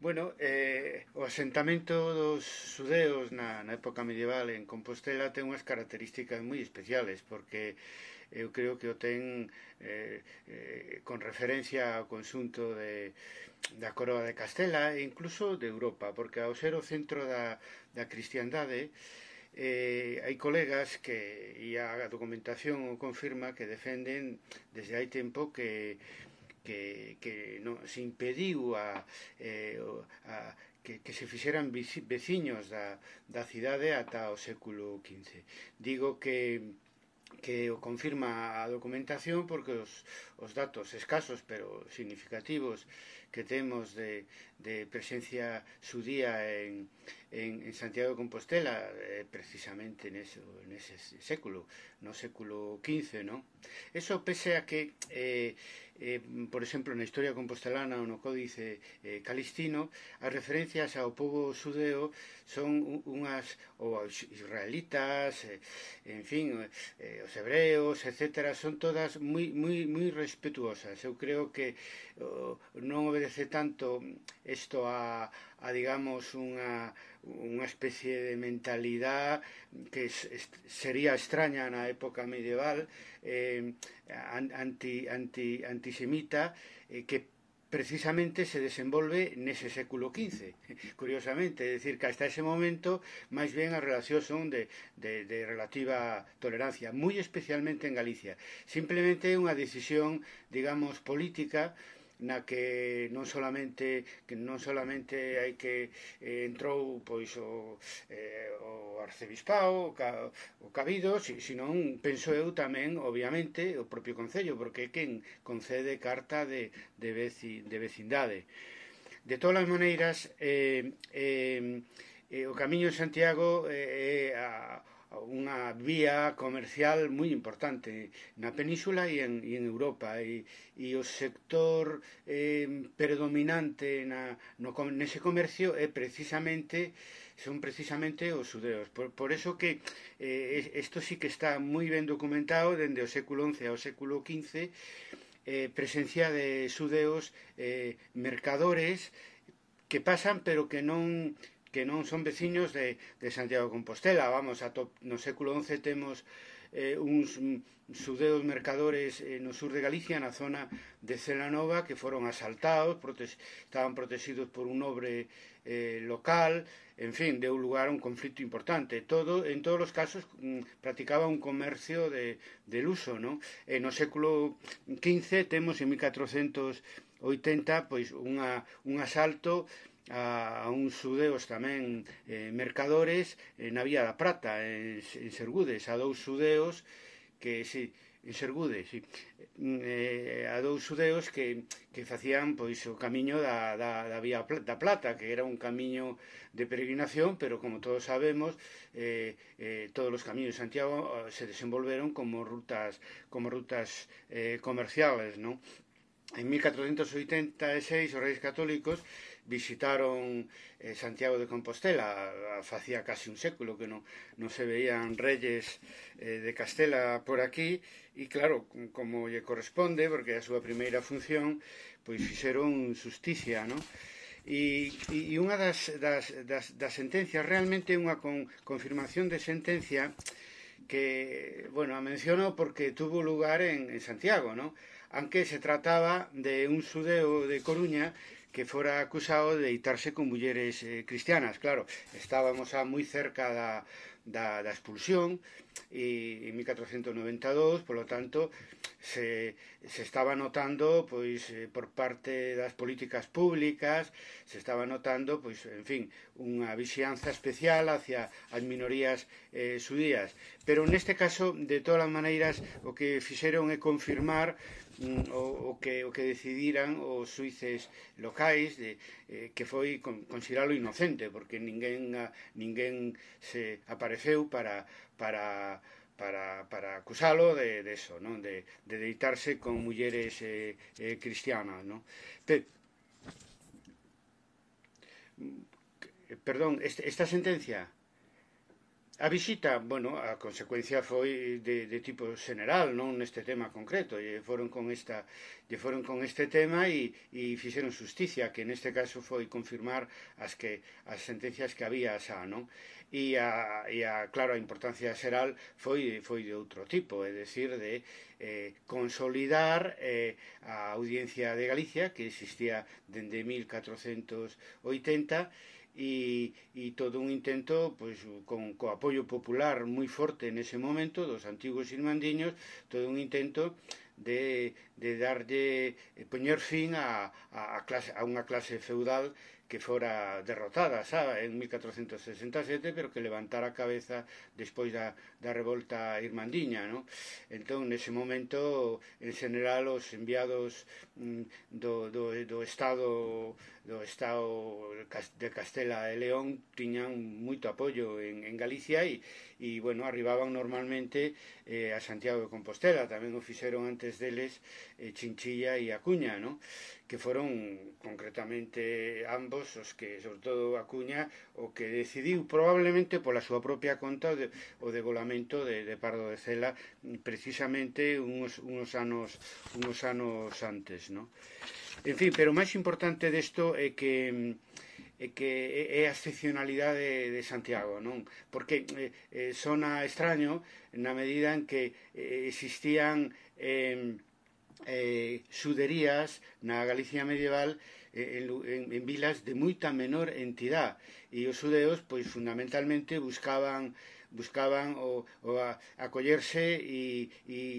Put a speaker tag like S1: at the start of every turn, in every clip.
S1: Bueno, o asentamento dos xudeos na época medieval en Compostela ten unhas características moi especiales, porque eu creo que o ten con referencia ao conxunto da coroa de Castela e incluso de Europa, porque ao ser o centro da cristiandade, hai colegas que, e a documentación o confirma, que defenden desde hai tempo que non, se impediu que se fixeran veciños da cidade ata o século XV. Digo que o confirma a documentación porque os datos escasos pero significativos que temos de presencia xudía en Santiago de Compostela, precisamente nese século, no século XV, non? Eso pese a que, por exemplo, na historia compostelana ou no Códice Calistino, as referencias ao pobo xudeo son unhas, ou aos israelitas, en fin, os hebreos, etc., son todas moi respetuosas. Eu creo que non obedece tanto isto a digamos, unha especie de mentalidade que sería extraña na época medieval, antisemita, que precisamente se desenvolve nese século XV, curiosamente, é dicir, que hasta ese momento máis ben as relacións son de relativa tolerancia, moi especialmente en Galicia. Simplemente é unha decisión, digamos, política, na que non solamente hai que entrou pois o arcebispado, o cabido, senón, penso eu tamén, obviamente, o propio Concello, porque é quen concede carta de vecindade. De todas as maneiras, o Camiño de Santiago é unha vía comercial moi importante na península e en Europa, e o sector predominante nese comercio son precisamente os xudeos. Por eso que isto sí que está moi ben documentado dende o século XI ao século XV, presencia de xudeos mercadores que pasan pero que non son veciños de Santiago de Compostela. Vamos, no século XI temos uns xudeos mercadores no sur de Galicia, na zona de Celanova, que foron asaltados, estaban protegidos por un nobre local, en fin, deu lugar a un conflito importante. En todos os casos practicaba un comercio de luso, non? No século XV temos, en 1480, pois un asalto a uns xudeos tamén mercadores na Vía da Prata, en Sergudes, a dous xudeos que, en Sergudes, a dous xudeos que facían pois o camiño da Vía da Plata, que era un camiño de peregrinación, pero como todos sabemos, todos os camiños de Santiago se desenvolveron como rutas comerciales, non? En 1486 os reis católicos visitaron Santiago de Compostela. Facía casi un século que non se veían reyes de Castela por aquí, e claro, como lle corresponde, porque a súa primeira función, pois fixeron justicia, non? E unha das sentencias, realmente unha confirmación de sentencia que, bueno, a menciono porque tuvo lugar en Santiago, non? Aunque se trataba de un xudeo de Coruña que fora acusado de deitarse con mulleres cristianas. Claro, estábamos moi cerca da expulsión, e en 1492, polo tanto, se estaba notando, pois, por parte das políticas públicas, se estaba notando, pois, en fin, unha vixianza especial hacia as minorías xudías. Pero neste caso, de todas as maneiras, o que fixeron é confirmar o que decidiran os xuíces locais, que foi consideralo inocente, porque ninguén se apareceu para acusalo de eso, non? De deitarse con mulleres cristianas, non? Perdón, esta sentencia A visita, bueno, a consecuencia foi de tipo xeneral, non neste tema concreto, lle foron con este tema e fixeron justicia, que neste caso foi confirmar as sentencias que había xa, non? Claro, a importancia xeral foi de outro tipo, é dicir, de consolidar a Audiencia de Galicia, que existía dende 1480, e todo un intento, pois, co apoio popular moi forte nese momento dos antigos irmandiños, todo un intento de darlle, poñer fin a unha clase feudal que fora derrotada, sabe, en 1467, pero que levantara a cabeza despois da revolta irmandiña, non? Entón, nese momento, en general, os enviados do Estado de Castela e León tiñan moito apoio en Galicia bueno, arribaban normalmente a Santiago de Compostela, tamén o fixeron antes deles Chinchilla e Acuña, non? Que foron concretamente ambos os que, sobre todo Acuña, o que decidiu probablemente pola súa propia conta o degolamento de Pardo de Cela precisamente unos anos antes, non? En fin, pero o máis importante desto é que é a excepcionalidade de Santiago, non? Porque sona extraño na medida en que existían xuderías na Galicia medieval en vilas de moita menor entidade, e os xudeos, pois, fundamentalmente buscaban acollerse e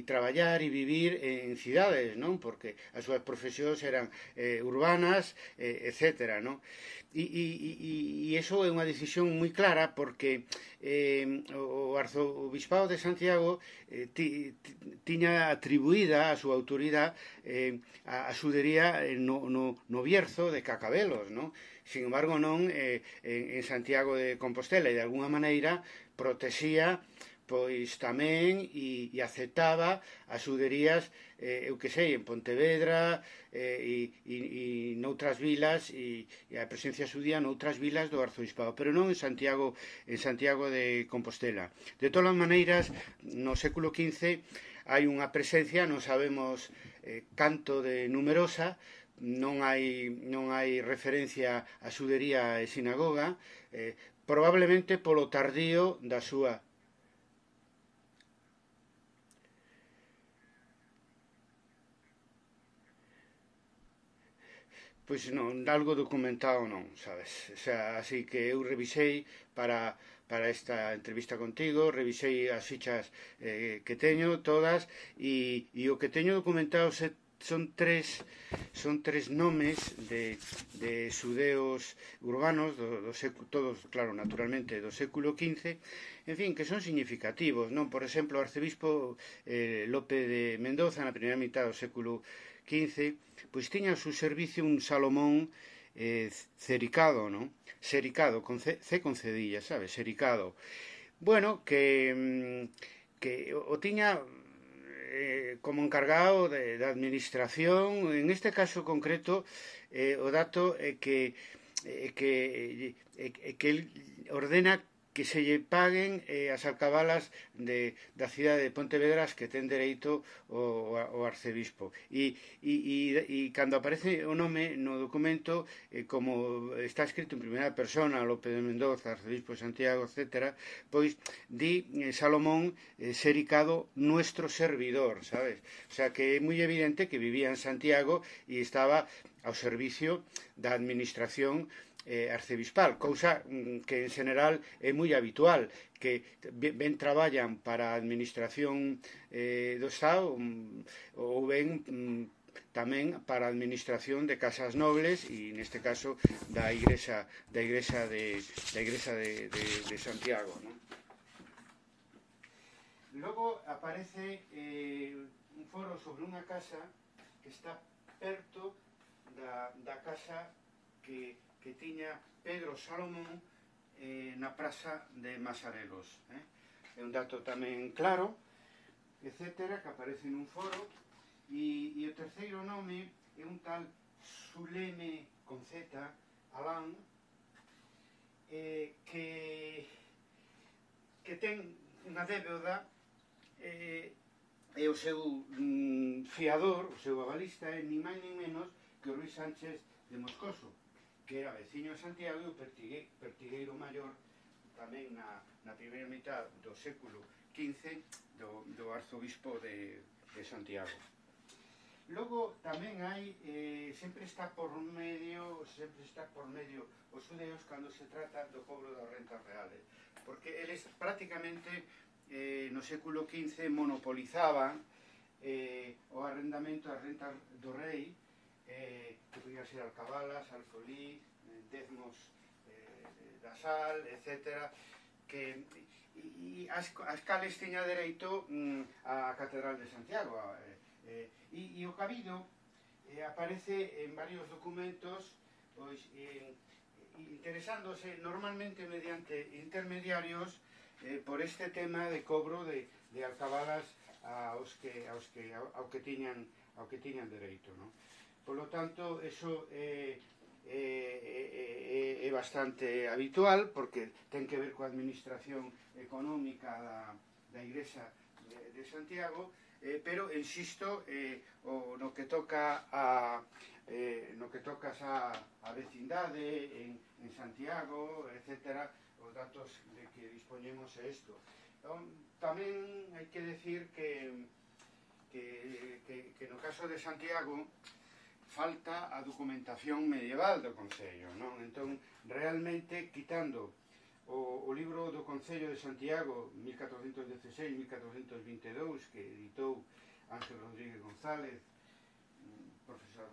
S1: traballar e vivir en cidades, non? Porque as súas profesións eran urbanas, etcétera, non? E iso é unha decisión moi clara, porque o arzobispado de Santiago tiña atribuída a súa autoridade a xudería no Bierzo de Cacabelos, non? Sin embargo, non en Santiago de Compostela, e de alguna maneira protexía pois tamén e aceptaba as xuderías, eu que sei, en Pontevedra e noutras vilas, e a presencia xudía noutras vilas do arzobispado, pero non en Santiago de Compostela. De todas as maneiras, no século XV hai unha presencia, non sabemos canto de numerosa, non hai referencia a xudería e sinagoga, probablemente polo tardío da súa. Pois non, algo documentado non, sabes? O sea, así que eu revisei para esta entrevista contigo, revisei as fichas que teño todas, e o que teño documentado son tres nomes de xudeos urbanos todos, claro, naturalmente do século XV, en fin, que son significativos, non? Por exemplo, o arcebispo Lope de Mendoza, na primeira mitad do século XV, pois tiña a su servicio un Salomón cericado, non? Sericado, C con cedilla, sabes? Sericado. Bueno, que o tiña como encargado da administración. En este caso concreto, o dato é que el ordena que se lle paguen as alcabalas da cidade de Pontevedra que ten dereito o arcebispo. E cando aparece o nome no documento, como está escrito en primeira persona, Lope de Mendoza, arcebispo de Santiago, etc., pois di Salomón Sericado, nuestro servidor, sabes? O sea, que é moi evidente que vivía en Santiago e estaba ao servicio da administración arcebispal, cousa que en general é moi habitual, que ben traballan para a administración do Estado ou ben tamén para a administración de casas nobles, e neste caso da Igrexa de Santiago, non? Logo aparece un foro sobre unha casa que está perto da casa que tiña Pedro Salomón na praza de Masarelos. É un dato tamén claro, etcétera, que aparece nun foro. E o terceiro nome é un tal Suleme con Z, Alán, que que ten unha débeda e o seu fiador, o seu avalista, é ni máis ni menos que o Ruiz Sánchez de Moscoso, que era veciño de Santiago e o pertigueiro maior tamén na primeira mitad do século XV do arzobispo de Santiago. Logo tamén hai, sempre está por medio os xudeos cando se trata do cobro das rentas reales, porque eles prácticamente no século XV monopolizaban o arrendamento das rentas do rei, que podían ser alcabalas, alfolí, dezmos da sal, etc., e as cales tiña dereito a Catedral de Santiago, e o cabido aparece en varios documentos, pois, interesándose normalmente mediante intermediarios por este tema de cobro de alcabalas ao que tiñan dereito, non? Por lo tanto, eso é bastante habitual, porque ten que ver coa administración económica da Igrexa de Santiago, pero, insisto, no que toca a vecindade en Santiago, etc., os datos de que dispoñemos é isto. Tamén hai que decir que no caso de Santiago falta a documentación medieval do Concello, non? Entón, realmente, quitando o libro do Concello de Santiago 1416-1422, que editou Ángel Rodríguez González, profesor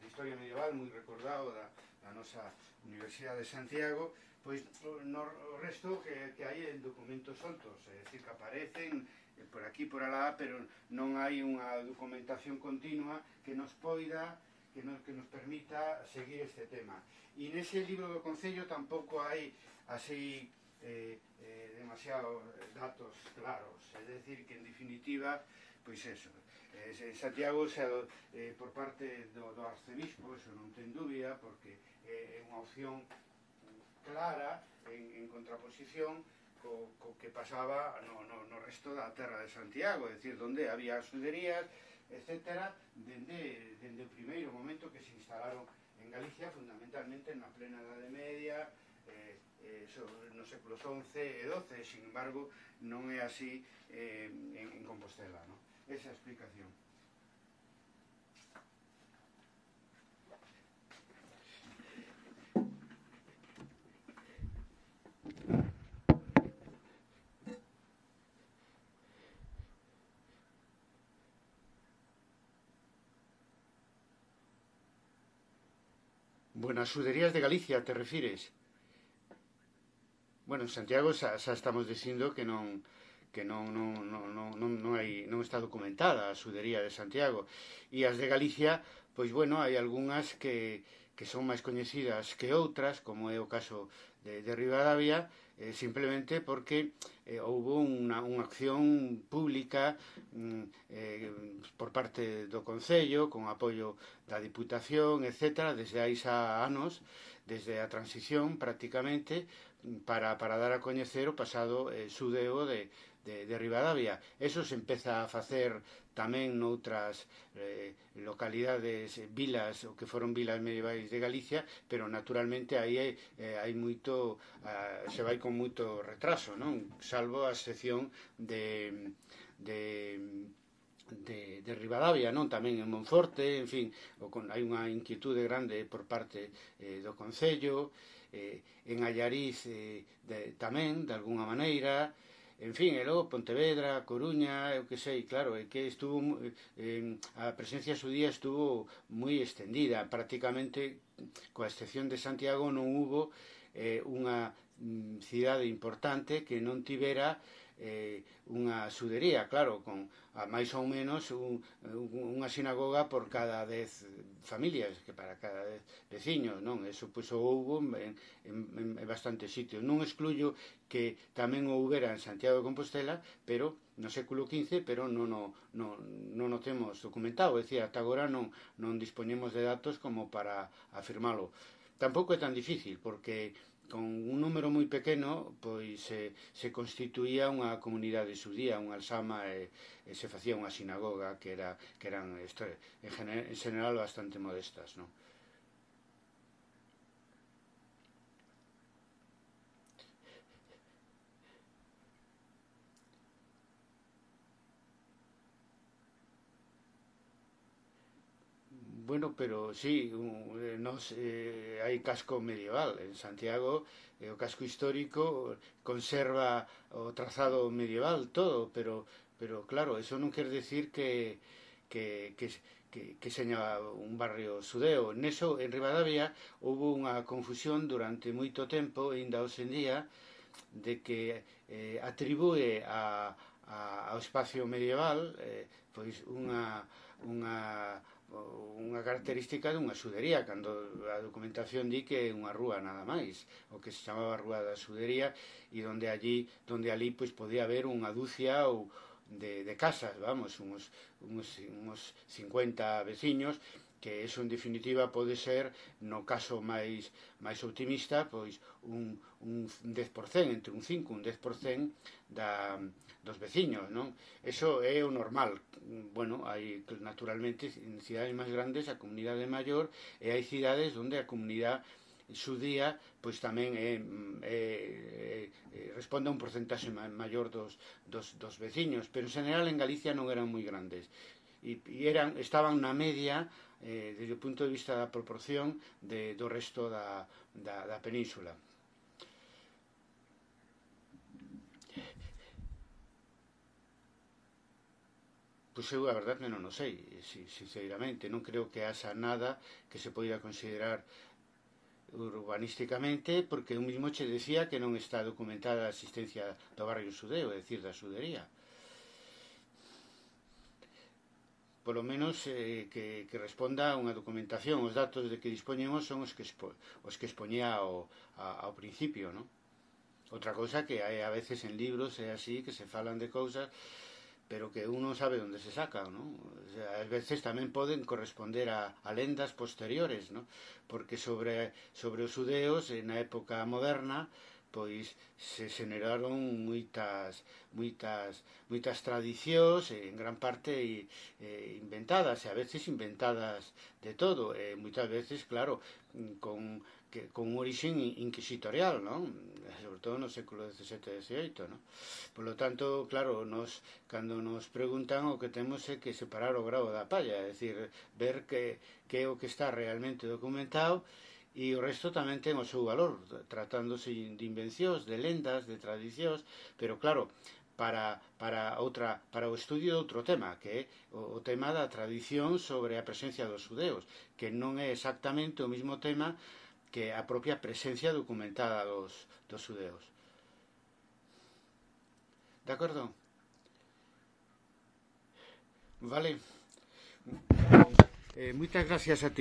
S1: de Historia Medieval moi recordado da nosa Universidade de Santiago, pois no resto que hai en documentos soltos, é dicir, que aparecen por aquí, por alá, pero non hai unha documentación continua que nos permita seguir este tema. E nese libro do Concello tampouco hai así demasiados datos claros, é dicir, que en definitiva, pois eso, Santiago por parte do arcebispo, eso non ten dúbida, porque é unha opción clara en contraposición co que pasaba no resto da terra de Santiago, é dicir, onde había xuderías, etc., dende o primeiro momento que se instalaron en Galicia, fundamentalmente na plena Edade Media, no séculos XI e XII, sin embargo, non é así en Compostela, non? Esa é a explicación. Bueno, as xuderías de Galicia, te refires? Bueno, en Santiago xa estamos dicindo que non está documentada a xudería de Santiago. E as de Galicia, pois bueno, hai algunhas que son máis coñecidas que outras, como é o caso de Ribadavia, simplemente porque houve unha acción pública por parte do Concello, con apoio da Diputación, etc., desde hai xa anos, desde a transición prácticamente, para dar a coñecer o pasado xudeo de Ribadavia. Eso se empeza a facer tamén noutras localidades, vilas, o que foron vilas medievais de Galicia, pero naturalmente aí hai moito, se vai con moito retraso, non? Salvo a excepción de Ribadavia, non? Tamén en Monforte, en fin, hai unha inquietude grande por parte do Concello, en Allariz tamén, de alguna maneira, en fin, e logo Pontevedra, Coruña, eu que sei, claro, é que estuvo a presencia xudía estuvo moi extendida, prácticamente, coa excepción de Santiago, non hubo unha cidade importante que non tivera unha xudería, claro, con máis ou menos unha sinagoga por cada 10 familias, que para cada 10 veciños, non? Eso pois o houbo en bastantes sitios. Non excluyo que tamén o houbera en Santiago de Compostela, pero no século XV, pero non o temos documentado, é dicir, ata agora non dispoñemos de datos como para afirmalo. Tampouco é tan difícil, porque con un número moi pequeno, pois se constituía unha comunidade xudía, unha alsama, e se facía unha sinagoga que eran en general bastante modestas, non? Bueno, pero sí, hai casco medieval en Santiago, o casco histórico conserva o trazado medieval todo, pero claro, eso non quer decir que, que, que seña un barrio xudeo. Neso, en Ribadavia, houve unha confusión durante moito tempo, e ainda hoxe en día, de que atribúe ao espacio medieval pois unha característica dunha xudería, cando a documentación di que é unha rúa nada máis, o que se chamaba Rúa da Xudería, e donde ali pois podía haber unha dúcia ou de casas, vamos, uns 50 veciños, que eso en definitiva pode ser, no caso máis optimista, pois un 10%, entre un 5 e un 10% dos veciños, non? Eso é o normal. Bueno, hai naturalmente en cidades máis grandes a comunidade é maior, e hai cidades onde a comunidade xudía pois tamén responde a un porcentaxe maior dos veciños, pero en general en Galicia non eran moi grandes, e estaban na media desde o punto de vista da proporción do resto da península. Pois eu a verdade non o sei, sinceramente, non creo que haxa nada que se poida considerar urbanísticamente, porque eu mismo che decía que non está documentada a existencia do barrio xudeo, é dicir, da xudería. Polo menos que responda a unha documentación. Os datos de que dispoñemos son os que expoñía ao principio, non? Outra cousa que hai a veces en libros é así, que se falan de cousas, pero que uno sabe onde se saca, non? O sea, ás veces tamén poden corresponder a lendas posteriores, non? Porque sobre os xudeos na época moderna pois se xeneraron moitas tradicións, en gran parte inventadas, e a veces inventadas de todo, e moitas veces, claro, con un orixen inquisitorial, non? Sobre todo no século XVII e XVIII, non? Por lo tanto, claro, cando nos preguntan, o que temos é que separar o grao da palla, é dicir, ver que é o que está realmente documentado, e o resto tamén ten o seu valor, tratándose de invencións, de lendas, de tradicións, pero claro, para o estudio de outro tema, que é o tema da tradición sobre a presencia dos xudeos, que non é exactamente o mismo tema que a propia presencia documentada dos xudeos. De acordo? Vale. Moitas gracias a ti.